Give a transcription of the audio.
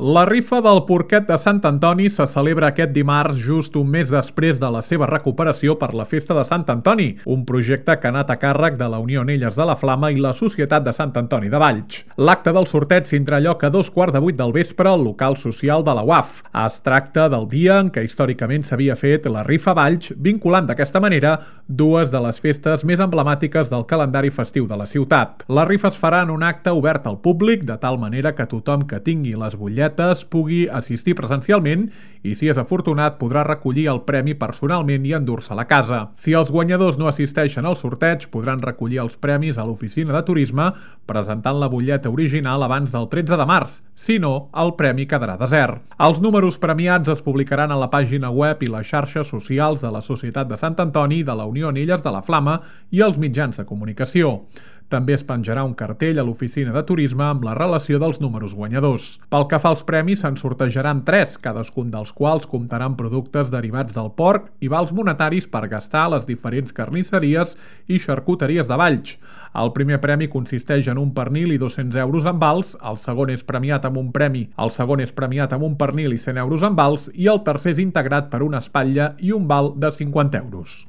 La rifa del porquet de Sant Antoni se celebra aquest dimarts just un mes després de la seva recuperació per la Festa de Sant Antoni, un projecte que ha anat a càrrec de la Unió Anelles de la Flama i la Societat de Sant Antoni de Valls. L'acte del sorteig tindrà lloc a 2:15 del vespre al local social de la UAF. Es tracta del dia en què històricament s'havia fet la rifa Valls, vinculant d'aquesta manera dues de les festes més emblemàtiques del calendari festiu de la ciutat. La rifa es farà en un acte obert al públic, de tal manera que tothom que tingui les butlletes pugui assistir presencialment i, si és afortunat, podrà recollir el premi personalment i endur-se a la casa. Si els guanyadors no assisteixen al sorteig, podran recollir els premis a l'oficina de turisme presentant la butlleta original abans del 13 de març. Si no, el premi quedarà desert. Els números premiats es publicaran a la pàgina web i les xarxes socials de la Societat de Sant Antoni, de la Unió Anelles de la Flama i els mitjans de comunicació. També es penjarà un cartell a l'oficina de turisme amb la relació dels números guanyadors. Pel que fa als premis, se'n sortejaran 3, cadascun dels quals comptarà amb productes derivats del porc i vals monetaris per gastar a les diferents carnisseries i xarcuteries de Valls. El primer premi consisteix en un pernil i 200 euros en vals, el segon és premiat amb un pernil i 100 euros en vals i el tercer és integrat per una espatlla i un val de 50 euros.